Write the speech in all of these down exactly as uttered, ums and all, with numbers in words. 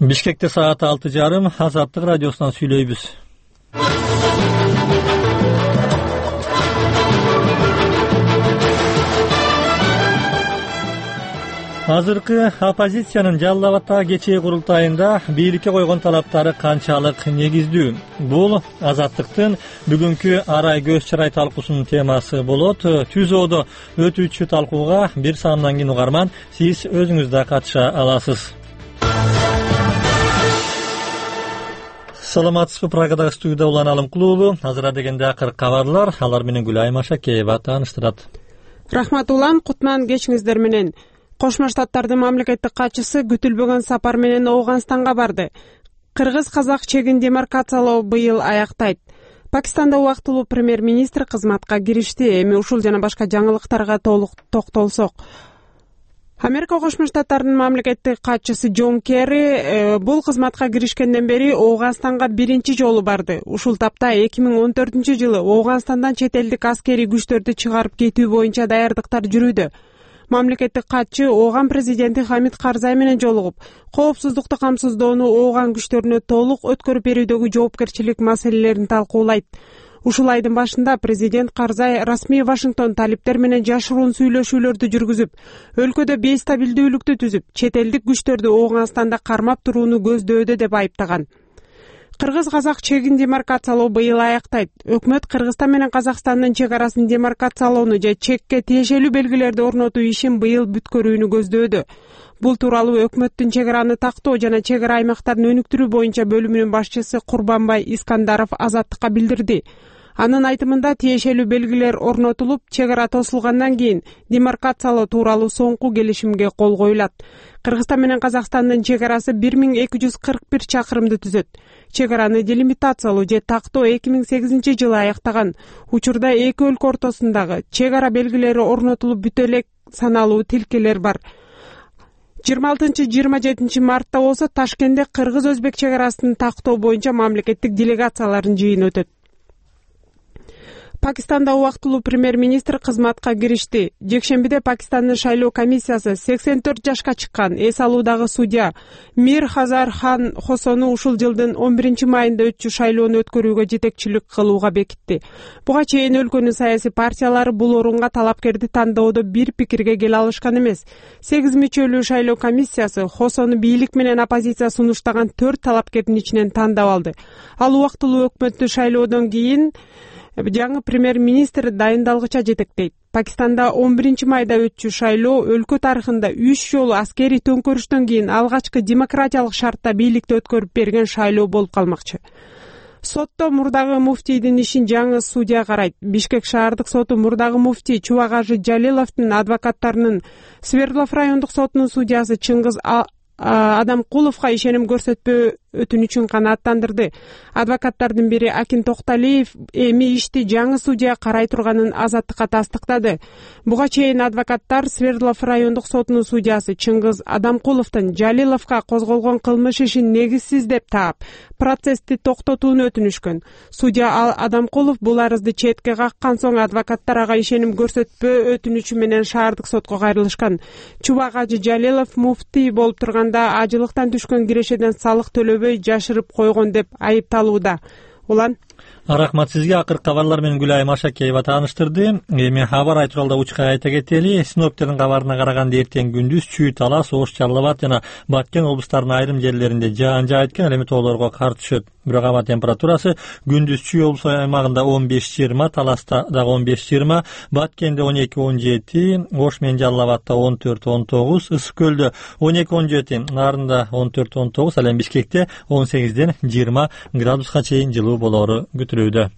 Бишкекте саат алты жарым Азаттык радиосунан сүйлөйбүз. Азыркы оппозициянын Жалал Абаддагы кечээ курултайында бийликке койгон талаптары канчалык негиздүү? Бул Азаттыктын бүгүнкү арай көз чырай талкуусунун темасы болот. Түзөөдө өтүүчү талкууга бир саамдан кийин угарман, сиз өзүңүз да катыша аласыз. Саламатсызбы? Прагадагы студияда Улан Алымкулуу. Азыр дегенде акыркы кабарлар, алар менен Гүлайым Ашакеева тааныштырат. Рахмат Улан, кутман кечиңиздер менен. Кошмо Штаттардын мамлекеттик катчысы күтүлбөгөн сапар менен Ооганстанга барды. Кыргыз-казак чегин демаркациялоо быйыл аяктайт. Пакистанда убактылуу премьер-министр кызматка киришти. Эми ушул жана башка жаңылыктарга толук токтолсок. Америка Кошмо Штаттарынын мамлекеттик катчысы Джон Керри бул кызматка киришкенден бери Ооганстанга биринчи жолу барды. Ушул тапта эки миң он төртүнчү жылы Ооганстандан чет элдик аскерий күчтөрдү чыгарып кетүү боюнча даярдыктар жүрүүдө. Мамлекеттик катчы Ооган президенти Хамид Карзай менен жолугуп, коопсуздукту камсыздоону Ооган күчтөрүнө толук өткөрүп берүүдөгү жоопкерчилик маселелерин талкуулайт. Ушул айдын башында президент Карзай расмий Вашингтон талиптер менен жашыруун сүйлөшүүлөрдү жүргүзүп, өлкөдө бейстабилдүүлүктү түзүп, чет элдик күчтөрдү Ооганстанда кармап турууну көздөөдө деп айыптаган. Кыргыз-казак чегин демаркациялоо быйыл аяктайт. Өкмөт Кыргызстан менен Казакстандын чек арасын демаркациялоону же чекке тиешелүү белгилерди орнотуу ишин быйыл бүткөрүүнү көздөөдө. Бул тууралуу өкмөттүн чек араны тактоо жана чек ара аймактарын өнүктүрүү боюнча бөлүмүнүн башчысы Курбанбай Искандаров Азаттыкка билдирди. Анын айтымында тиешелүү белгилер орнотулуп, чек ара тосулгандан кийин демаркациялоо тууралуу соңку келишимге кол коюлат. Кыргызстан менен Казакстандын чек арасы бир миң эки жүз кырк бир чакырымды түзөт. Чек араны делимитациялоо же тактоо эки миң сегизинчи жылы аяктаган. Учурда эки өлкө ортосундагы чек ара белгилери орнотулуп бүтө элек саналуу тилкелер бар. жыйырма алтынчы жыйырма жетинчи мартта болсо Ташкентте кыргыз-өзбек чек арасын тактоо боюнча мамлекеттик делегациялардын жыйыны өтөт. Пакистанда убактылуу премьер-министр кызматка киришти. Жекшембиде Пакистандын шайлоо комиссиясы сексен төрт жашка чыккан эс алуудагы судья Мир Хазар Хан Хосону ушул жылдын он биринчи майында өтчү шайлоону өткөрүүгө жетекчилик кылууга бекитти. Буга чейин өлкөнүн саясий партиялары бул орунга талапкерди тандоодо бир пикирге келе алышкан эмес. сегиз мүчөлүү шайлоо комиссиясы Хосону бийлик менен оппозиция сунуштаган төрт талапкердин ичинен тандап алды. Ал убактылуу өкмөттү шайлоодон кийин жаңы премьер-министр дайындалгыча жетектейт. Пакистанда он биринчи майда өтчү шайлоо өлкө тарыхында үч жолу аскерий төңкөрүштөн кийин алгачкы демократиялык шартта бийликти өткөрүп берген шайлоо болуп калмакчы. Сотто мурдагы муфтийдин ишин жаңы судья карайт. Бишкек шаардык соту мурдагы муфтий Чубагажы Жалиловдун адвокаттарынын Свердлов райондук сотунун судьясы Чыңгыз Адамкуловго ишеним көрсөтпөө өтүнүчүн канааттандырды. Адвокаттардын бири Акин Токталиев эми ишти жаңы судья карай турганын Азаттыкка тастыктады. Буга чейин адвокаттар Свердлов райондук сотунун судьясы Чыңгыз Адамкуловдун Жалиловго козголгон кылмыш ишин негизсиз деп таап, процессти токтотууну өтүнүшкөн. Судья Адамкулов бул арызды четке каккан соң адвокаттар ага ишеним көрсөтпөө өтүнүчү менен шаардык сотко кайрылышкан. Чубагажы Жалилов муфтий болуп турганда ажылыктан түшкөн кирешеден салык төлөбөй жашырып койгон деп айыпталууда. Улан Рахмат сизге. Акыркы кабарлар менен Гүлайым Ашакеева тааныштырды. Эми абар айтуралда учка айта кетели. Синоптиктердин кабарына караганда эртең күндүз Чүй, Талас, Ош, Жалал Абад жана Баткен облустарынын айрым жерлеринде жаан жаайт экен, ал эми тоолорго кар түшөт. Бирок аба температурасы күндүз Чүй облусу аймагында он беш жыйырма, Таласта дагы он беш жыйырма, Баткенде он эки он жети, Ош менен Жалал Абадта он төрт он тогуз, Ысык көлдө он эки он жети, Нарында он төрт он тогуз, ал эми Бишкекте он сегизден жыйырма градуска чейин жылуу болоору күтүлүүдө.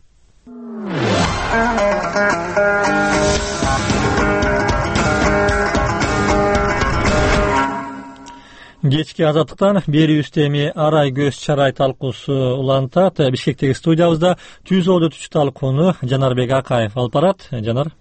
Кечки Азаттыктан берүүбүздө эми арай көз чарай талкуусу улантат. Бишкектеги студиябызда түзөөдө өтүүчү талкууну Жанарбек Акаев алып барат. Жанар.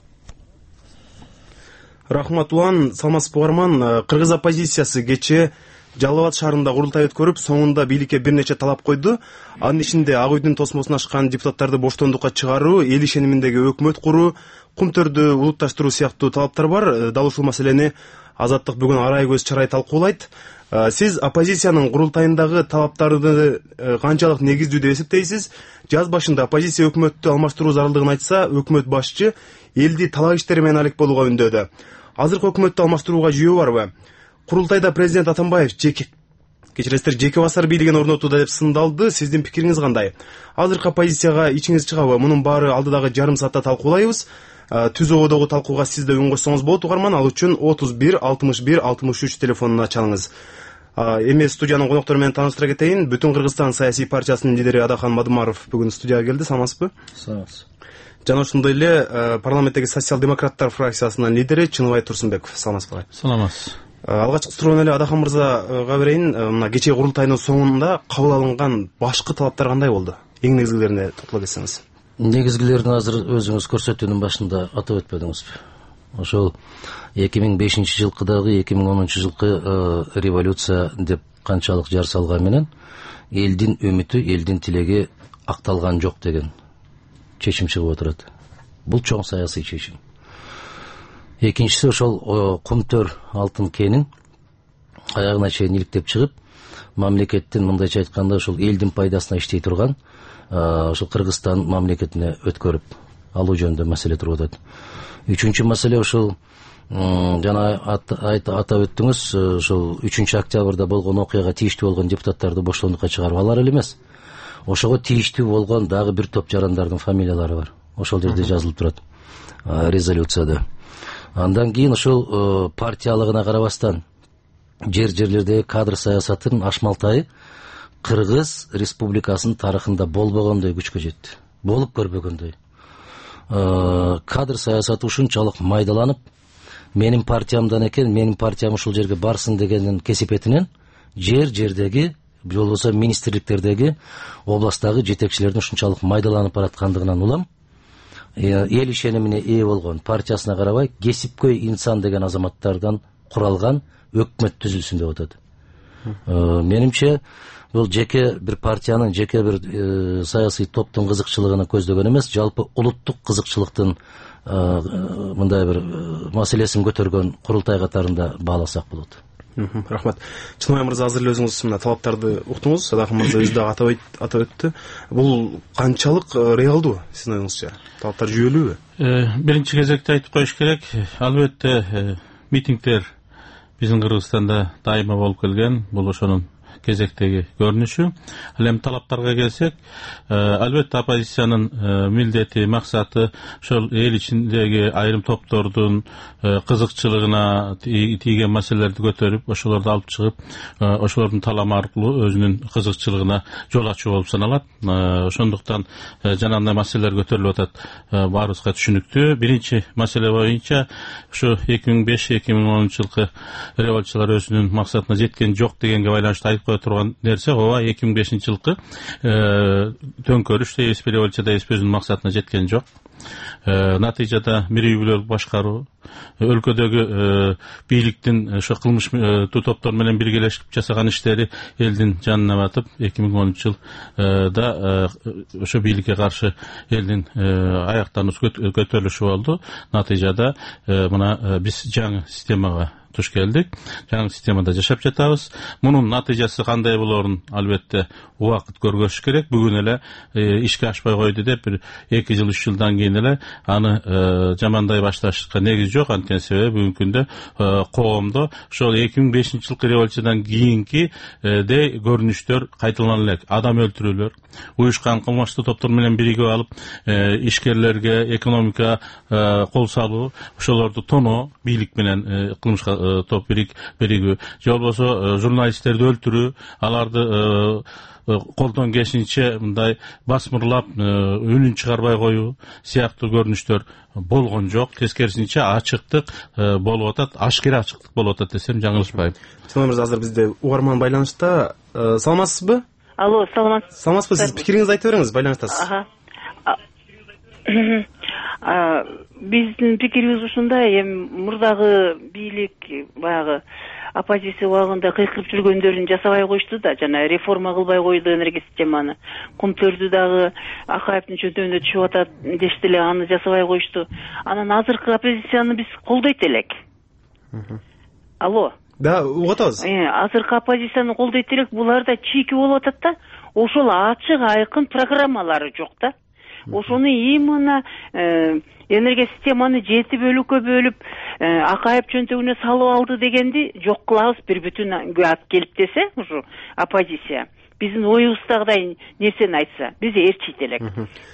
Рахмат Улан, саламатсызбы угарман. Кыргыз оппозициясы кечээ Жалал Абад шаарында курултай өткөрүп, соңунда бийликке бир нече талап койду. Анын ичинде Ак үйдүн тосмосун ашкан депутаттарды боштондукка чыгаруу, эл ишениминдеги өкмөт куруу, кумтөрдү улутташтыруу сыяктуу талаптар бар. Дал ушул маселени Азаттык бүгүн арай көз чарай талкуулайт. Сиз оппозициянын курултайындагы талаптарды канчалык негиздүү деп эсептейсиз? Жаз башында оппозиция өкмөттү алмаштыруу зарылдыгын айтса, өкмөт башчы элди талак иштери менен алек болууга үндөдү. Азыркы өкмөттү алмаштырууга жүйө барбы? Курултайда президент Атамбаев жеке кечиресиздер жеке басар бийлигин орнотууда деп сындалды. Сиздин пикириңиз кандай? Азыркы оппозицияга ичиңиз чыгабы? Мунун баары алдыдагы жарым саатта талкуулайбыз. Түз ободогу талкууга сиз да үн кошсоңуз болот угарман. Ал үчүн отуз бир алтымыш бир алтымыш үч телефонуна чалыңыз. Эми студиянын коноктору менен тааныштыра кетейин. Бүтүн Кыргызстан саясий партиясынын лидери Адахан Мадымаров бүгүн студияга келди. Саламатсызбы? Саламатсыз. Жана ошондой эле парламенттеги социал-демократтар фракциясынын лидери Чыныбай Турсунбеков. Саламатсызбы? Саламатсыз. Алгачкы суроону эле Адахан мырзага берейин. Мына кечээ курултайдын соңунда кабыл алынган башкы талаптар кандай болду? Эң негизгилерине токтоло кетсеңиз. Негизгилерин азыр өзүңүз көрсөтүүнүн башында атап өтпөдүңүзбү? Ошол эки миң бешинчи жылкыдагы эки миң онунчу жылкы революция деп канчалык жар салган менен элдин үмүтү, элдин тилеги акталган жок деген чечим чыгып отурат. Бул чоң саясий чечим. Экинчиси ошол кумтөр алтын кенин аягына чейин иликтеп чыгып, мамлекеттин мындайча айтканда ошол элдин пайдасына иштей турган ошол Кыргызстан мамлекетине өткөрүп алуу жөнүндө маселе туруп атат. Үчүнчү маселе ошол жана атап өттүңүз, ошол үчүнчү октябрда болгон окуяга тийиштүү болгон депутаттарды боштондукка чыгарып алар эле эмес. Ошого тийиштүү болгон дагы бир топ жарандардын фамилиялары бар. Ошол жерде жазылып турат резолюцияда. Андан кийин ошол партиялыгына карабастан жер-жерлердеги кадр саясатынын ашмалтайы Кыргыз Республикасынын тарыхында болбогондой күчкө жетти. Болуп көрбөгөндөй. Кадр саясаты ушунчалык майдаланып, менин партиямдан экен, менин партиям ушул жерге барсын дегенин кесипетинен жер-жердеги, болбосо министрликтердеги, областтагы жетекчилердин ушунчалык майдаланып бараткандыгынан улам эл ишенимине ээ болгон, партиясына карабай кесипкөй инсан деген азаматтардан куралган өкмөт түзүлсүн деп атат. Менимче бул жеке бир партиянын, жеке бир саясий топтун кызыкчылыгын көздөгөн эмес, жалпы улуттук кызыкчылыктын мындай бир маселесин көтөргөн курултай катарында бааласак болот. Рахмат. Чыныбай мырза, азыр эле өзүңүз мына талаптарды уктуңуз. Адахан мырза өзү дагы атап өттү. Бул канчалык реалдуу сиздин оюңузча? Талаптар жүйөлүүбү? Биринчи кезекте айтып коюш керек, албетте митингдер биздин Кыргызстанда дайыма болуп келген. Бул ошонун кезектеги көрүнүшү. Ал эми талаптарга келсек, албетте оппозициянын милдети, максаты ошол эл ичиндеги айрым топтордун кызыкчылыгына тийген маселелерди көтөрүп, ошолорду алып чыгып, ошолордун таламы аркылуу өзүнүн кызыкчылыгына жол ачуу болуп саналат. Ошондуктан жанагындай маселелер көтөрүлүп атат, баарыбызга түшүнүктүү. Биринчи маселе боюнча ушу эки миң беш эки миң онунчу жылкы революциялар өзүнүн максатына жеткен жок дегенге байланыштуу айтып кое турган нерсе, ооба эки миң бешинчи жылкы төңкөрүш дейбизби, революция дейбизби, өзүнүн максатына жеткен жок. Натыйжада бир үй бүлөлүк башкаруу, өлкөдөгү бийликтин ошо кылмыш топтор менен биргелешип жасаган иштери элдин жанына батып, эки миң онунчу жылда ошо бийликке каршы элдин аяктануусу көтөрүлүшү болду. Натыйжада мына биз жаңы системага туш келдик. Жаңы системада жашап жатабыз. Мунун натыйжасы кандай болорун албетте убакыт көргөзүш керек. Бүгүн эле ишке ашпай койду деп бир эки жыл үч жылдан кийин эле аны жамандай башташка негиз жок. Анткени себеби бүгүнкү күндө коомдо ошол эки миң бешинчи жылкы революциядан кийинки де көрүнүштөр кайталана элек. Адам өлтүрүүлөр, уюшкан кылмыштуу топтор менен биригип алып ишкерлерге экономика кол салуу, ошолорду тоноо, бийлик менен кылмышка топ биригүү, же болбосо журналисттерди өлтүрүү, аларды колдон келишинче мындай басмырлап үнүн чыгарбай коюу сыяктуу көрүнүштөр болгон жок. Тескерисинче ачыктык болуп атат, ашкера ачыктык болуп атат десем жаңылышпайм. Чыныбай мырза, азыр бизде угарман байланышта. Саламатсызбы? Алло, саламатсыз. Саламатсызбы? Сиз пикириңизди айтып бериңиз, байланыштасыз. Биздин пикирибиз ушундай, эми мурдагы бийлик баягы оппозиция убагында кыйкырып жүргөндөрүн жасабай коюшту да, жана реформа кылбай койду энергия системаны. Кумтөрдү дагы Акаевдин чөнтөгүнө түшүп атат дешти эле, аны жасабай коюшту. Анан азыркы оппозицияны биз колдойт элек. Алло. Да, угуп атабыз. Азыркы оппозицияны колдойт элек, булар да чийки болуп атат да. Ошол ачык айкын программалары жок да. Ошону именно энергия системаны жети бөлүккө бөлүп Акаев чөнтөгүнө салып алды дегенди жок кылабыз бир бүтүн алып келип десе, ушу оппозиция биздин оюбуздагыдай нерсени айтса, биз ээрчийт элек.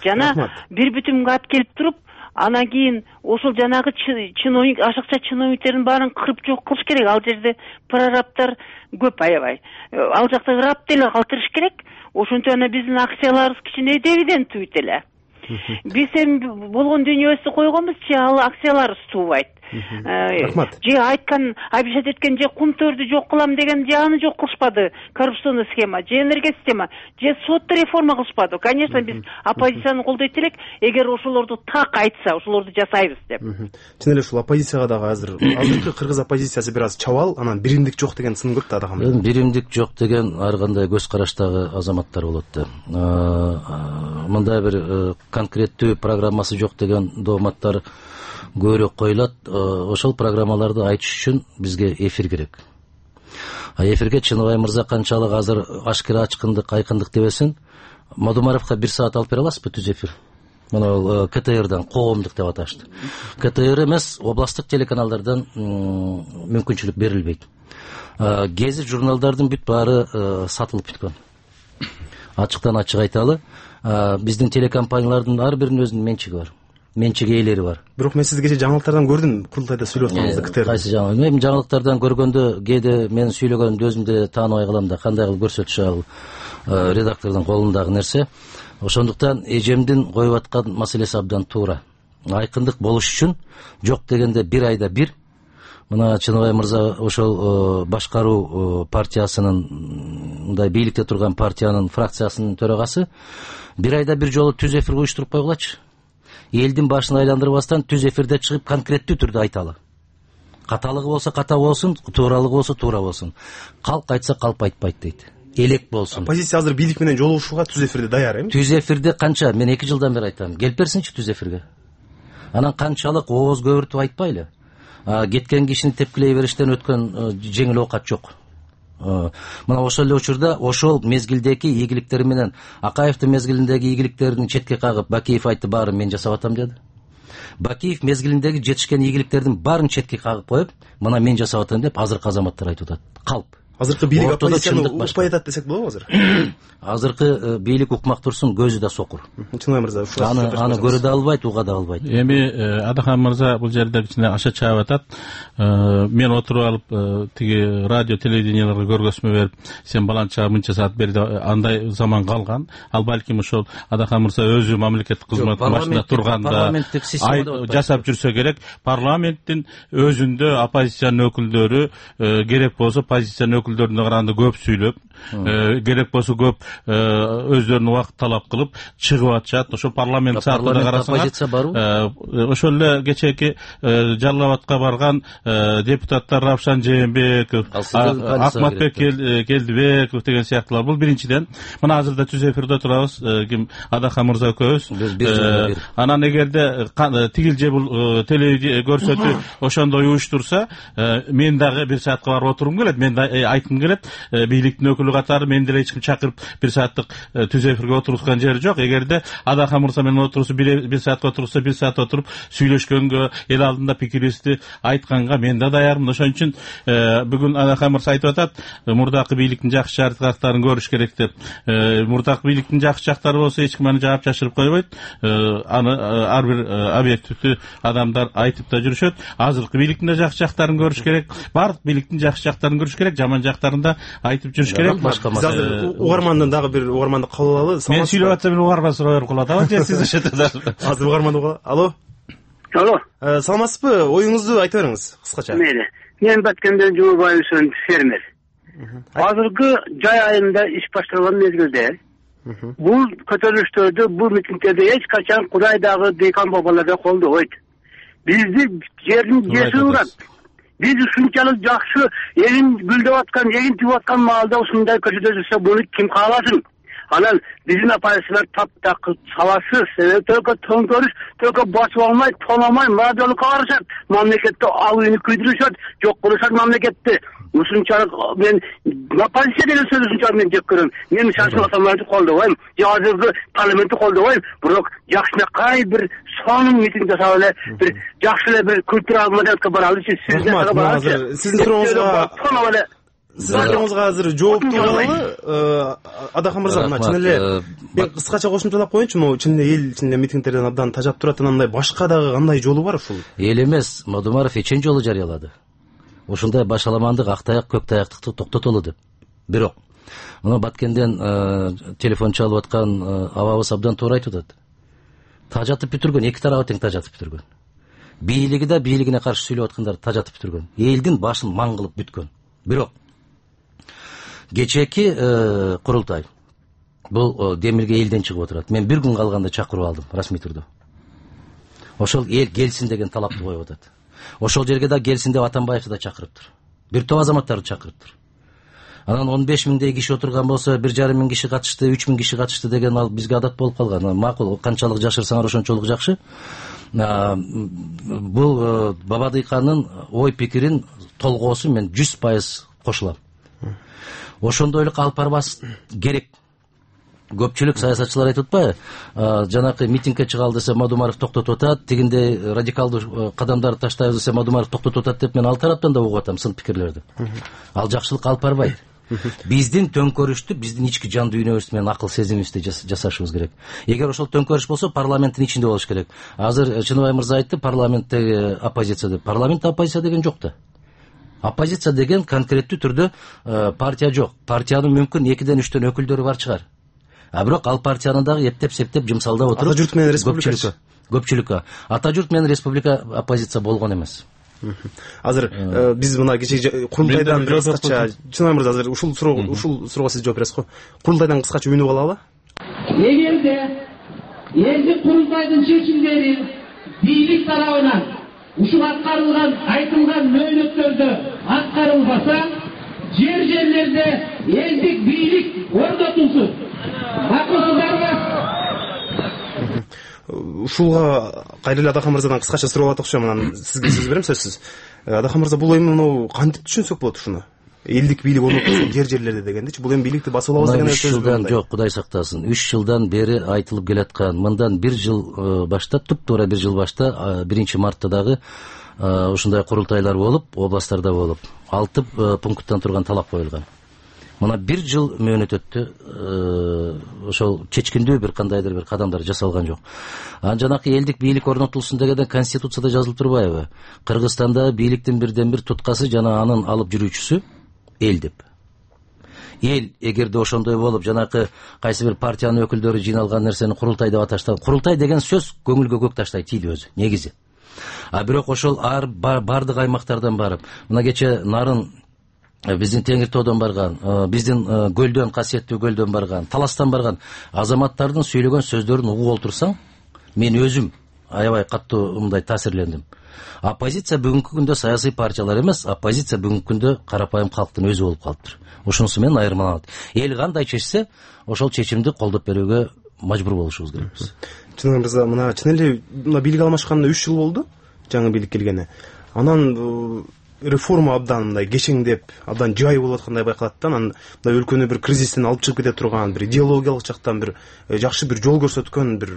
Жана бир бүтүнгө алып келип туруп, анан кийин ошол жанагы чиновник, ашыкча чиновниктердин баарын кырып жок кылыш керек. Ал жерде прорабтар көп аябай. Ал жакта ырап деле калтырыш керек. Ошентип анан биздин акцияларыбыз кичине дивиденд туйт эле. Биз эми болгон дүйнөбүздү койгонбузчу, ал акцияларыбыз туубайт. Рахмат. Же айткан, обещать эткен, же кумтөрдү жок кылам деген, же аны жок кылышпады. Коррупционный схема, же энергия система, же сотто реформа кылышпады. Конечно, биз оппозицияны колдойт элек, эгер ошолорду так айтса, ошолорду жасайбыз деп. Чын эле ушул оппозицияга дагы азыр азыркы кыргыз оппозициясы бир аз чабал, анан биримдик жок деген сын көп да адакам. Эми биримдик жок деген ар кандай көз караштагы азаматтар болот да. Мындай бир конкреттүү программасы жок деген дооматтар көбүрөөк коюлат. Ошол программаларды айтыш үчүн бизге эфир керек. А эфирге Чыныбай мырза канчалык азыр ашкера ачкындык, айкындык дебесин, Мадумаровго бир саат алып бере аласызбы түз эфир? Мына КТРдан коомдук деп аташты. КТР эмес, областтык телеканалдардан мүмкүнчүлүк берилбейт. Гезит журналдардын бүт баары сатылып бүткөн. Ачыктан ачык айталы, биздин телекомпаниялардын ар биринин өзүнүн менчиги бар. Менчик ээлери бар. Бирок мен сизди кечээ жаңылыктардан көрдүм, курултайда сүйлөп атканыңызды КТР. Кайсы жаңылык? Мен жаңылыктардан көргөндө кээде мен сүйлөгөнүмдү өзүм деле тааныбай калам да, кандай кылып көрсөтүшү ал редактордун колундагы нерсе. Ошондуктан эжемдин коюп аткан маселеси абдан туура. Айкындык болуш үчүн жок дегенде бир айда бир. Мына Чыныбай мырза ошол башкаруу партиясынын, мындай бийликте турган партиянын фракциясынын төрагасы бир айда бир жолу түз эфир уюштуруп койгулачы. Элдин башын айландырбастан түз эфирде чыгып конкреттүү түрдө айталы. Каталыгы болсо ката болсун, тууралыгы болсо туура болсун. Калк айтса калп айтпайт дейт. Элек болсун. Оппозиция азыр бийлик менен жолугушууга түз эфирде даяр эми? Түз эфирде канча? Мен эки жылдан бери айтам. Келип берсинчи түз эфирге. Анан канчалык ооз көбүртүп айтпайлы. Кеткен кишини тепкилей бериштен өткөн жеңил оокат жок. Мына ошол эле учурда ошол мезгилдеги ийгиликтери менен Акаевдин мезгилиндеги ийгиликтерин четке кагып, Бакиев айтты, баарын мен жасап атам деди. Бакиев мезгилиндеги жетишкен ийгиликтердин баарын четке кагып коюп, мына мен жасап атам деп азыркы азаматтар айтып атат. Калп. Азыркы бийлик оппозицияны укпай атат десек болобу азыр? Азыркы бийлик укмак турсун, көзү да сокур. Чыныбай мырза, аны аны көрө да албайт, уга да албайт. Эми Адахан мырза бул жерде кичине аша чаап атат. Мен отуруп алып тиги радио телевиденияларга көргөзмө берип, сен баланча мынча саат берди, андай заман калган. Ал балким ошол Адахан мырза өзү мамлекеттик кызматтын башында турганда жасап жүрсө керек. Парламенттин өзүндө оппозициянын өкүлдөрү керек болсо оппозициянын өкүлдөрүнө караганда көп сүйлөп, керек болсо көп өздөрүнүн убакыт талап кылып чыгып атышат. Ошол парламент саатында карасаңар, ошол эле кечээки Жалал Абадка барган депутаттар Равшан Жээнбеков, Акматбек Келдибеков деген сыяктуулар. Бул биринчиден. Мына азырда түз эфирде турабыз, ким Адахан мырза экөөбүз. Анан эгерде тигил же бул телевизия көрсөтүү ошондой уюштурса, мен дагы бир саатка барып отургум келет. Мен да айткым келет, бийликтин өкүлү катары мен деле эч ким чакырып бир сааттык түз эфирге отургузган жери жок. Эгерде Адахан мырза менен отурса, бир саатка отурса, бир саат отуруп сүйлөшкөнгө, эл алдында пикирибизди айтканга мен да даярмын. Ошон үчүн бүгүн Адахан мырза айтып атат, мурдакы бийликтин жакшы жактарын көрүш керек деп. Мурдакы бийликтин жакшы жактары болсо эч ким аны жаап жашырып койбойт. Аны ар бир объективдүү адамдар айтып да жүрүшөт. Азыркы бийликтин да жакшы жактарын көрүш керек. Бардык бийликтин жакшы жактарын көрүш керек, жаман жактарын да айтып жүрүш керек. Биз азыр угармандан дагы бир угарманды кабыл алалы. Мен сүйлөп атсам эле угарман суроо берип калат. Ага, же сиз ошентесизби? Азыр угарманды угалы. Алло. Алло. Саламатсызбы? Оюңузду айта бериңиз кыскача. Мейли. Мен Баткенден Жумабаевдин фермер. Азыркы жай айында иш башталган мезгилде бул көтөрүлүштөрдү, бул митингтерди эч качан Кудай дагы дейкан бабаларга колдобойт. Бизди жердин жеси урат. биз ушунчалык жакшы эгин гүлдөп аткан, эгин тигип аткан маалда ушундай көчөдө жүрсө буну ким кааласын? Анан биздин оппозициялар таптакыр сабатсыз, только төңкөрүш, только басып алмай, тономай, мажолукка барышат, мамлекетте абыйны күйдүрүшөт, жок кылышат мамлекетти. Ушунчалык мен оппозиция деген сөз ушунчалык мен жек көрөм. Мен шашыл атамарды колдобойм, же азыркы парламентти колдобойм, бирок жакшынакай бир сонун митинг жасап эле, бир жакшы эле бир культуралык маданиятка баралычы, сиздин баралычы. Сиздин сурооңузга Сиздин сурооңузга азыр жоопту алалы. Адахан мырза, мына чын эле мен кыскача кошумчалап коеюнчу, могу чын эле эл чын эле митингтерден абдан тажап турат, анандай башка дагы кандай жолу бар ушул? Эл эмес, Мадумаров эчен жолу жарыялады. Ушундай башаламандык, ак таяк, көк таяктыкты токтотолу деп. Бирок мына Баткенден телефон чалып аткан абабыз абдан туура айтып атат. Тажатып бүтүргөн, эки тарабы тең тажатып бүтүргөн. Бийлиги да бийлигине каршы сүйлөп аткандар тажатып бүтүргөн. Элдин башын маң кылып бүткөн. Бирок кечээки курултай бул демилге элден чыгып отурат. Мен бир күн калганда чакырып алдым расмий түрдө. Ошол эл келсин деген талапты коюп атат. Ошол жерге да келсин деп Атамбаевди да чакырыптыр. Бир топ азаматтарды чакырыптыр. Анан он беш миңдей киши отурган болсо, бир жарым миң киши катышты, үч миң киши катышты деген ал бизге адат болуп калган. Макул, канчалык жашырсаңар ошончолук жакшы. Бул Бабадыйканын ой пикирин толгоосу мен жүз пайыз кошулам. Ошондойлук алып барбас керек. Көпчүлүк саясатчылар айтып атпайбы? Жанакы митингге чыгалы десе Мадумаров токтотуп атат, тигиндей радикалдуу кадамдарды таштайбыз десе Мадумаров токтотуп атат деп мен ал тараптан да угуп атам сын пикирлерди. Ал жакшылык алып барбайт. Биздин төңкөрүштү биздин ички жан дүйнөбүз менен акыл сезимибизде жасашыбыз керек. Эгер ошол төңкөрүш болсо парламенттин ичинде болуш керек. Азыр Чыныбай мырза айтты, парламенттеги оппозиция деп. Парламентте оппозиция деген жок да. Оппозиция деген конкреттүү түрдө партия жок. Партиянын мүмкүн экиден үчтөн өкүлдөрү бар чыгар. А бирок ал партияны дагы эптеп септеп жымсалдап отуруп, ата журт менен республика көпчүлүккө. Ата журт менен республика оппозиция болгон эмес. Азыр биз мына кечеги курултайдан бир кыскача, Чыныбай мырза, азыр ушул суроо ушул суроого сиз жооп бересиз го. Курултайдан кыскача үнүп алалы. Эгерде элдик курултайдын чечимдери бийлик тарабынан ушул аткарылган айтылган мөөнөттөрдө аткарылбаса, жер жерлерде элдик бийлик орнотулсун. Ушулга кайра эле Адахан мырзадан кыскача суроо алат окшойм. Анан сизге сөз берем, сөзсүз. Адахан мырза, бул эми кантип түшүнсөк болот ушуну? Элдик бийлик орнотулсун жер жерлерде дегендичи, бул эми бийликти басып алабыз деген сөз жылдан жок, Кудай сактасын. үч жылдан бери айтылып келаткан. Мындан бир жыл баштап, туп-туура бир жыл башта биринчи мартта дагы ушундай курултайлар болуп, областтарда болуп, алты пункттан турган талап коюлган. Мына бир жыл мөөнөт өттү, ошол чечкиндүү бир кандайдыр бир кадамдар жасалган жок. Анан жанакы элдик бийлик орнотулсун дегенде Конституцияда жазылып турбайбы? Кыргызстанда бийликтин бирден бир туткасы жана анын алып жүрүүчүсү эл деп. Эл эгерде ошондой болуп, жанакы кайсы бир партиянын өкүлдөрү жыйналган нерсени курултай деп аташты. Курултай деген сөз көңүлгө көк таштай тийди өзү, негизи. А бирок ошол ар бардык аймактардан барып, мына кече Нарын биздин Теңир тоодон барган, биздин көлдөн, касиеттүү көлдөн барган, Таластан барган азаматтардын сүйлөгөн сөздөрүн угуп олтурсаң, мен өзүм аябай каттуу мындай таасирлендим. Оппозиция бүгүнкү күндө саясий партиялар эмес, оппозиция бүгүнкү күндө карапайым калктын өзү болуп калыптыр. Ошонусу менен айырмаланат. Эл кандай чечсе, ошол чечимди колдоп берүүгө мажбур болушубуз керекпиз. Чыныбай мырза, мына чын эле мына бийлик алмашканына үч жыл болду, жаңы бийлик келгени. Анан реформа абдан мындай кечеңдеп, абдан жай болуп аткандай байкалат да. Анан мындай өлкөнү бир кризистен алып чыгып кете турган, бир идеологиялык жактан бир жакшы бир жол көрсөткөн бир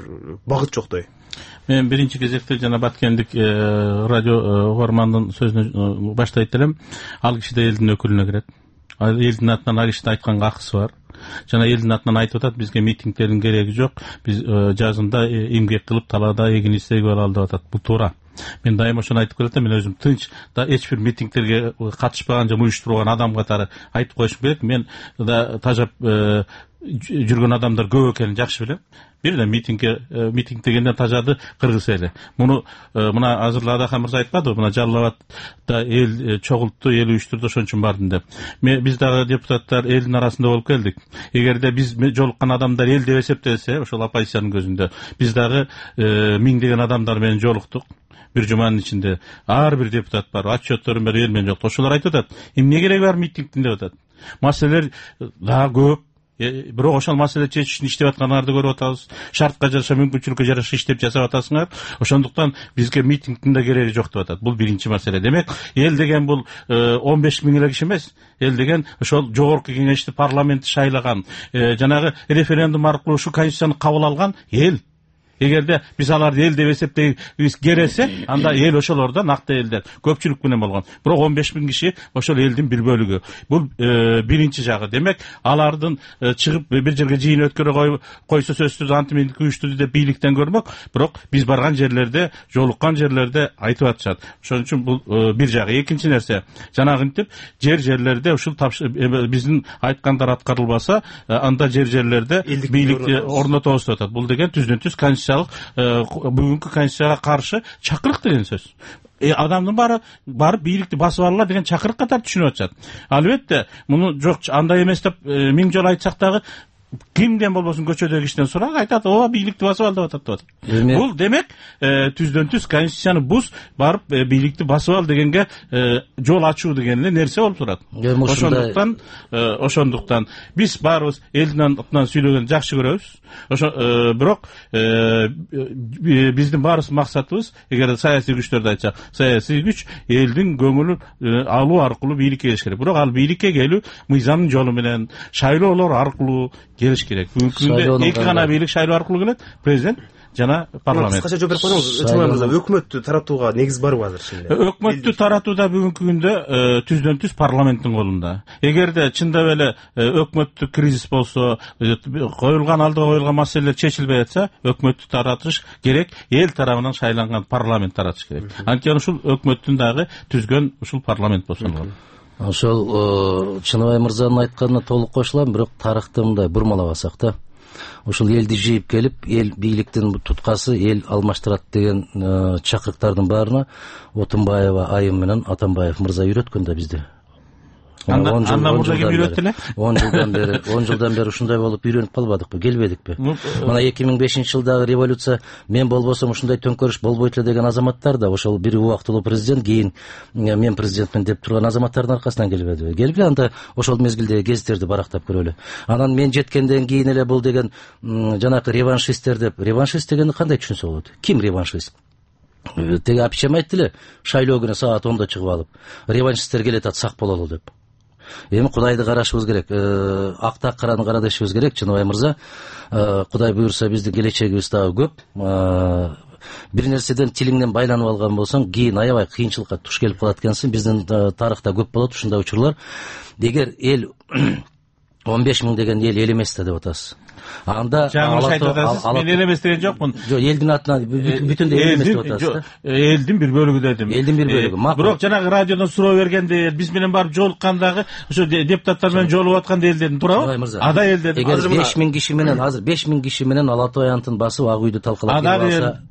багыт жоктой. Мен биринчи кезекте жана Баткендик радио угармандын сөзүнө баштайт элем. Ал киши да элдин өкүлүнө кирет. Элдин атынан ал кишинин айтканга акысы бар. Жана элдин атынан айтып атат, бизге митингтердин кереги жок. Биз жазында эмгек кылып, талаада эгин истегип алалы деп атат. Бул туура. Мен дайыма ошону айтып келатам. Мен өзүм тынч да эч бир митингтерге катышпаган же уюштурган адам катары айтып коюшум керек. Мен да тажап жүргөн адамдар көп экенин жакшы билем. Бир эле митингге митинг дегенде тажады кыргыз эли. Муну мына азыр Адахан мырза айтканбы, мына Жалал Абадда эл чогултту, эл уюштурду, ошон үчүн бардым деп. Биз дагы депутаттар элдин арасында болуп келдик. Эгерде биз жолуккан адамдар эл деп эсептелсе, ошол оппозициянын көзүндө биз дагы миңдеген адамдар менен жолуктук. Бир жуманын ичинде ар бир депутат бар, отчетторун берип эл менен жолукту. Ошолор айтып атат, эмне кереги бар митингдин деп атат. Маселелер дагы көп. Бирок ошол маселе чечиш үчүн иштеп атканыңарды көрүп атабыз. Шартка жараша, мүмкүнчүлүккө жараша иштеп жасап атасыңар. Ошондуктан бизге митингдин да кереги жок деп атат. Бул биринчи маселе. Демек, эл деген бул он беш миң эле киши эмес. Эл деген ошол жогорку кеңешти, парламентти шайлаган, жанагы референдум аркылуу ушу конституцияны кабыл алган эл. Эгерде биз аларды эл деп эсептейбиз кересе, анда эл ошолордо накты элдер көпчүлүк менен болгон. Бирок он беш миң киши ошол элдин бир бөлүгү. Бул биринчи жагы. Демек, алардын чыгып бир жерге жыйын өткөрө койсо сөзсүз антиминдик уюштурду деп бийликтен көрмөк, бирок биз барган жерлерде, жолуккан жерлерде айтып атышат. Ошон үчүн бул бир жагы. Экинчи нерсе, жанагынтип жер жерлерде ушул биздин айткандар аткарылбаса, анда жер жерлерде бийликти орнотобуз деп атат. Бул деген түздөн-түз конституция бүгүнкү конституцияга каршы чакырык деген сөз. Э, адамдын баары барып бийликти басып алалар деген чакырык катары түшүнүп атышат. Албетте, муну жок андай эмес деп миң жолу айтсак дагы кимден болбосун көчөдөгү кишиден сурак айтат, ооба бийликти басып ал деп атат деп атат. Бул демек түздөн-түз конституцияны буз барып бийликти басып ал дегенге жол ачуу деген эле нерсе болуп турат. Ошондуктан ошондуктан биз баарыбыз элдин атынан сүйлөгөндү жакшы көрөбүз. Ошо бирок биздин баарыбыз максатыбыз, эгер саясий күчтөрдү айтсак, саясий күч элдин көңүлүн алуу аркылуу бийликке келиш керек. Бирок ал бийликке келүү мыйзамдын жолу менен, шайлоолор аркылуу келиш керек. Бүгүнкү күндө эки гана бийлик шайлоо аркылуу келет, президент жана парламент. Кыскача жооп берип коюңуз, өкмөттү таратууга негиз барбы азыр чынында? Өкмөттү таратууда бүгүнкү күндө түздөн-түз парламенттин колунда. Эгерде чындап эле өкмөттүк кризис болсо, коюлган алдыга коюлган маселелер чечилбей атса, өкмөттү таратыш керек, эл тарабынан шайланган парламент таратыш керек. Анткени ушул өкмөттүн дагы түзгөн ушул парламент болсо болот. Ошол Чыныбай мырзанын айтканына толук кошулам, бирок тарыхты мындай бурмалабасак да. Ушул элди жыйып келип, эл бийликтин туткасы эл алмаштырат деген чакырыктардын баарына Отунбаева айым менен Атамбаев мырза үйрөткөн да бизди. Андан мурда ким үйрөттү эле? он жылдан бери, он жылдан бери ушундай болуп үйрөнүп калбадыкпы, келбедикпи? Мына эки миң бешинчи жылдагы революция мен болбосом ушундай төңкөрүш болбойт эле деген азаматтар да ошол бир убактылуу президент, кийин мен президентмин деп турган азаматтардын аркасынан келбедиби? Келгиле, анда ошол мезгилдеги гезиттерди барактап көрөлү. Анан мен жеткенден кийин эле бул деген жанакы реваншисттер деп, реваншист дегенди кандай түшүнсө болот? Ким реваншист? Теги апичем айтты эле, шайлоо күнү саат онда чыгып алып, реваншисттер келет ат, сак бололу деп. Эми Кудайды карашыбыз керек, акта караны кара дешибиз керек, Чыныбай мырза. Кудай буюрса биздин келечегибиз дагы көп. Бир нерседен тилиңден байланып алган болсоң, кийин аябай кыйынчылыкка туш келип калат экенсиң. Биздин тарыхта көп болот ушундай учурлар. Эгер эл он беш миң деген эл эл эмес да деп атасыз. Анда жаңылыш айтып атасыз. Мен эл эмес деген жокмун. Жок, элдин атынан бүтүндөй эл эмес деп атасыз. Элдин бир бөлүгү дедим. Элдин бир бөлүгү. Бирок жанагы радиодон суроо бергенде, биз менен барып жолуккандагы ошо депутаттар менен жолуп атканда эл дедим, туурабы? Ада эл дедим. Эгер беш миң киши менен, азыр беш миң киши менен Ала Той антын басып ак үйдү талкалап алса,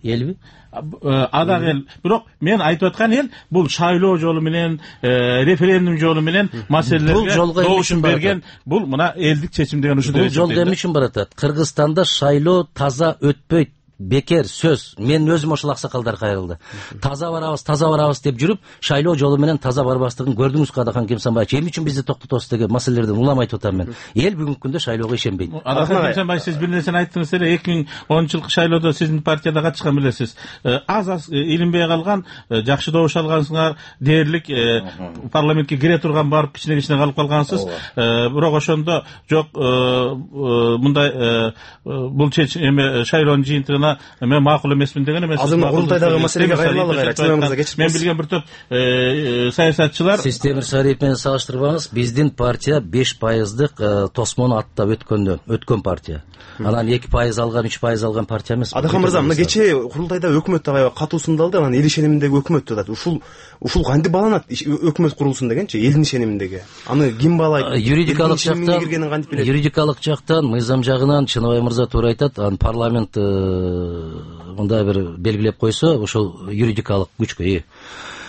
элби? Ада эл. Бирок мен айтып аткан эл бул шайлоо жолу менен, референдум жолу менен маселелерге добушун берген, бул мына элдик чечим деген ушул. Бул жол эмне үчүн баратат? Кыргызстанда шайлоо таза өтпөйт. Бекер сөз. Мен өзүм ошол аксакалдар кайрылды. Таза барабыз, таза барабыз деп жүрүп, шайлоо жолу менен таза барбастыгын көрдүңүз Адахан Кемсанбаевич. Эмне үчүн бизди токтотосуз деген маселелерден улам айтып атам мен. Эл бүгүнкү күндө шайлоого ишенбейт. Адахан Кемсанбаевич, сиз бир нерсени айттыңыз эле, эки миң онунчу жылкы шайлоодо сиздин партияда катышкан билесиз. Аз аз илинбей калган, жакшы добуш алгансыңар, дээрлик парламентке кире турган барып кичине-кичине калып калгансыз. Бирок ошондо жок, мындай бул эме шайлоонун жыйынтыгын аны мен макул эмесмин деген эмес. Азыр курултайдагы маселеге кайрылалы кайра. Чынын мырза кечирип. Мен билген бир топ саясатчылар сиз Темир Сариев менен салыштырбаңыз. Биздин партия беш пайыздык тосмону аттап өткөндө өткөн партия. Анан эки пайыз алган, үч пайыз алган партия эмес. Адахан мырза, мына кечээ курултайда өкмөт аябай катуу сындалды. Анан эл ишениминдеги өкмөт деп атат. Ушул ушул кантип бааланат? Өкмөт курулсун дегенчи, элдин ишениминдеги. Аны ким баалайт? Юридикалык жактан, юридикалык жактан, мыйзам жагынан Чыныбай мырза туура айтат. Анан парламент мындай бир белгилеп койсо, ошол юридикалык күчкө ээ.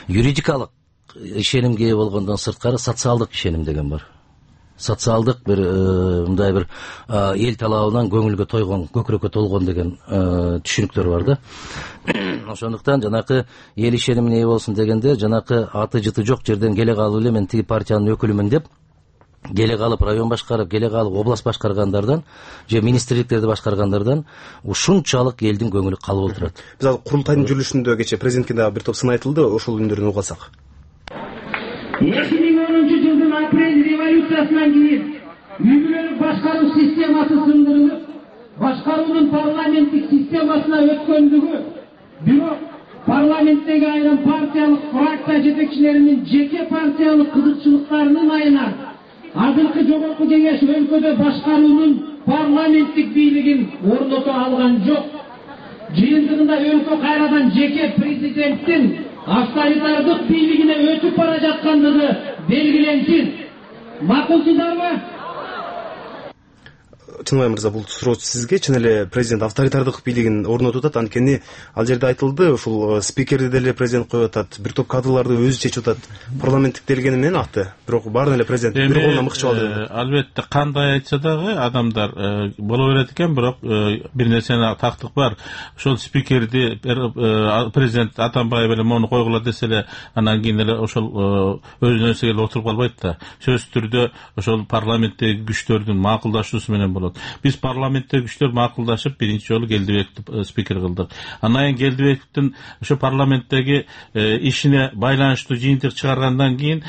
Юридикалык ишенимге ээ болгондон сырткары социалдык ишеним деген бар. Социалдык бир мындай бир эл талабынан көңүлгө тойгон, көкүрөккө толгон деген түшүнүктөр бар да. Ошондуктан жанакы эл ишенимине ээ болсун дегенде, жанакы аты жыты жок жерден келе калып эле мен тиги партиянын өкүлүмүн деп келе калып район башкарып, келе калып область башкаргандардан же министрликтерди башкаргандардан ушунчалык элдин көңүлү калып отурат. Биз азыр курултайдын жүрүшүндө кечээ президентке дагы бир топ сын айтылды, ошол үндөрдү угасак. эки миң онунчу жылдын апрель революциясынан кийин үй бүлөлүк башкаруу системасы сындырылып, башкаруунун парламенттик системасына өткөндүгү, бирок парламенттеги айрым партиялык фракция жетекчилеринин жеке партиялык кызыкчылыктарынын айынан азыркы жогорку кеңеш өлкөдө башкаруунун парламенттик бийлигин орното алган жок. Жыйынтыгында өлкө кайрадан жеке президенттин авторитардык бийлигине өтүп бара жаткандыгы белгиленсин. Макулсуздарбы? Чыныбай мырза, бул суроо сизге. Чын эле президент авторитардык бийлигин орнотуп атат. Анткени ал жерде айтылды, ушул спикерди деле президент коюп атат, бир топ кадрларды өзү чечип атат. Парламенттик делгени менен аты. Бирок баарын эле президент бир колуна мыкчып алды. Албетте, кандай айтса дагы адамдар боло берет экен, бирок бир нерсени тактык бар. Ошол спикерди президент Атамбаев эле мону койгула десе эле, анан кийин эле ошол өзүнөн өзү эле отуруп калбайт да. Сөзсүз түрдө ошол парламенттеги күчтөрдүн макулдашуусу менен болот. Биз парламенттеги күчтөр макулдашып биринчи жолу Келдибековду спикер кылдык. Анан кийин Келдибековдун ошо парламенттеги ишине байланыштуу жыйынтык чыгаргандан кийин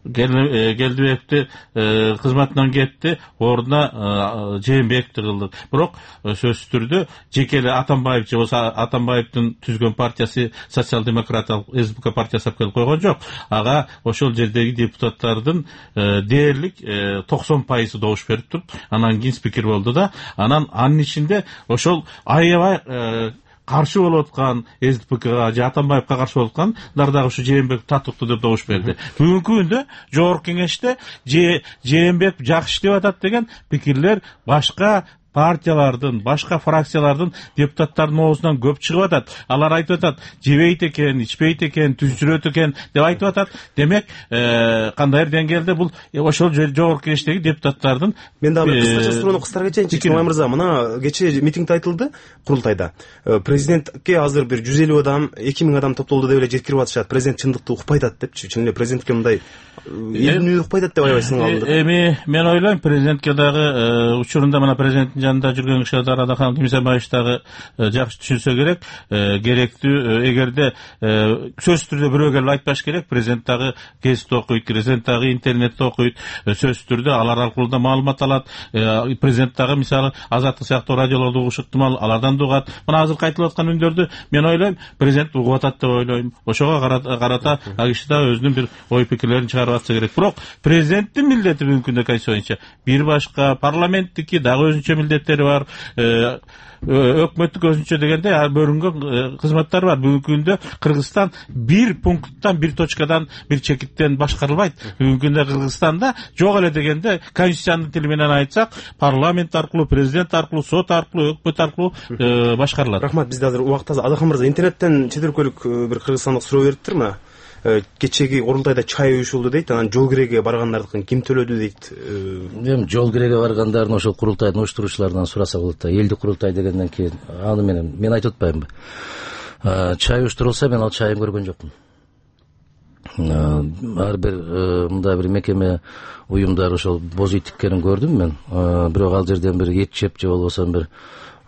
Келдибековду кызматынан кетти, ордуна Жээнбековду кылдык. Бирок сөзсүз түрдө жеке эле Атамбаев же болсо Атамбаевдин түзгөн партиясы социал-демократиялык СБК партиясы алып келип койгон жок. Ага ошол жердеги депутаттардын дээрлик токсон пайызы добуш берип туруп, анан кийин спикер болду да. Анан анын ичинде ошол аябай каршы болуп аткан СДПКга же Атамбаевга каршы болуп аткандар дагы ушу Жээнбеков татыктуу деп добуш берди. Бүгүнкү күндө жогорку кеңеште Жээнбеков жакшы иштеп атат деген пикирлер башка партиялардын, башка фракциялардын депутаттарынын оозунан көп чыгып атат. Алар айтып атат, жебейт экен, ичпейт экен, түз жүрөт экен деп айтып атат. Демек, кандайдыр деңгээлде бул ошол жогорку кеңештеги депутаттардын. Мен дагы бир кыскача суроону кыстара кетейинчи. Чыныбай мырза, мына кечээ митингде айтылды курултайда. Президентке азыр бир жүз элүү адам, эки миң адам топтолду деп эле жеткирип атышат. Президент чындыкты укпай атат депчи. Чын эле президентке мындай элдин укпай атат деп аябай сынга алынды. Эми мен ойлойм, президентке дагы учурунда мына президент жанында жүргөн кишилер Адахан Кимисебаевич дагы жакшы түшүнсө керек, керектүү. Эгерде сөзсүз түрдө бирөө келип айтпаш керек, президент дагы гезитте окуйт, президент дагы интернетте окуйт, сөзсүз түрдө алар аркылуу да маалымат алат. Президент дагы мисалы Азаттык сыяктуу радиолорду угуш ыктымал, алардан да угат. Мына азыр айтылып аткан үндөрдү мен ойлойм, президент угуп атат деп ойлойм. Ошого карата ал киши да өзүнүн бир ой пикирлерин чыгарып атса керек. Бирок президенттин милдети бүгүнкү күндө конституция боюнча бир башка, парламенттики дагы өзүнчө милдеттери бар, өкмөттүк өзүнчө дегенде бөлүнгөн кызматтар бар. Бүгүнкү күндө Кыргызстан бир пункттан, бир точкадан, бир чекиттен башкарылбайт. Бүгүнкү күндө Кыргызстанда жок эле дегенде, конституциянын тили менен айтсак, парламент аркылуу, президент аркылуу, сот аркылуу, өкмөт аркылуу башкарылат. Рахмат, бизде азыр убакыт аз. Адахан мырза, интернеттен чет өлкөлүк бир кыргызстандык суроо бериптир мына. Кечеги курултайда чай уюшулду дейт, анан жол киреге баргандардыкын ким төлөдү дейт. Эми жол киреге баргандардын ошол курултайдын уюштуруучуларынан сураса болот да. Элдик курултай дегенден кийин аны менен мен айтып атпаймынбы? Чай уюштурулса, мен ал чайын көргөн жокмун. Ар бир мындай бир мекеме, уюмдар ошол боз ит тиккенин көрдүм мен. Бирок ал жерден бир эт жеп же болбосо бир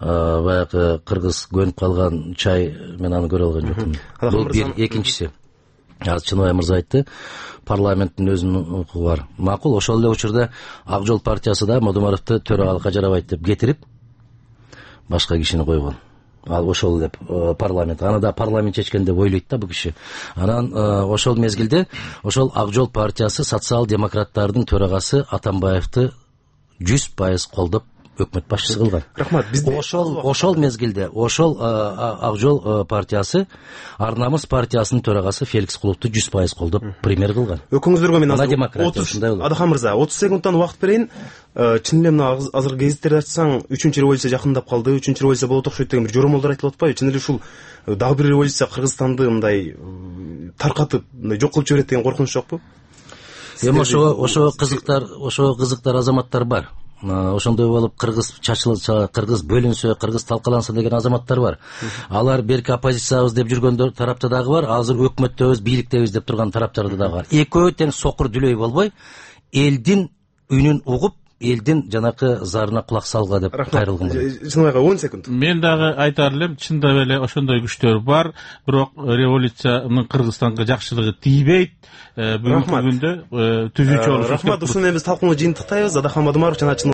баягы кыргыз көнүп калган чай, мен аны көрө алган жокмун. Бул бир. Экинчиси, азыр Чыныбай мырза айтты, парламенттин өзүнүн укугу бар. Макул, ошол эле учурда Ак Жол партиясы да Модумаровду төрөгалыкка жарабайт деп кетирип, башка кишини койгон. Ал ошол деп парламент, аны да парламент чечкен деп ойлойт да бул киши. Анан ошол мезгилде ошол Ак Жол партиясы социал-демократтардын төрагасы Атамбаевди жүз пайыз колдоп өкмөт башчысы кылган. Рахмат. Бизде ошол ошол мезгилде ошол Ак Жол партиясы Ар намыс партиясынын төрагасы Феликс Куловду жүз пайыз колдоп премьер кылган. Өкүңүздөргө мен азыр Адахан мырза отуз секундтан убакыт берейин. Чын эле мына азыр гезиттерди ачсаң үчүнчү революция жакындап калды, үчүнчү революция болот окшойт деген бир жоромолдор айтылып атпайбы? Чын эле ушул дагы бир революция Кыргызстанды мындай таркатып, мындай жок кылып жиберет деген коркунуч жокпу? Эми ошо ошо кызыктар, ошо кызыктар азаматтар бар. Ошондой болуп кыргыз чачылса, кыргыз бөлүнсө, кыргыз талкаланса деген азаматтар бар. Алар берки оппозициябыз деп жүргөндөр тарапта дагы бар, азыр өкмөттөбүз, бийликтебиз деп турган тараптарда дагы бар. Экөө тең сокур дүлөй болбой, элдин үнүн угуп, элдин жанакы зарына кулак салга деп кайрылган. Чынайга он секунд. Мен дагы айтар элем, чындап эле ошондой күчтөр бар, бирок революциянын Кыргызстанга жакшылыгы тийбейт. Бүгүнкү күндө түзүүчү болуш. Рахмат, ушуну биз талкууну жыйынтыктайбыз. Адахан Мадумаров жана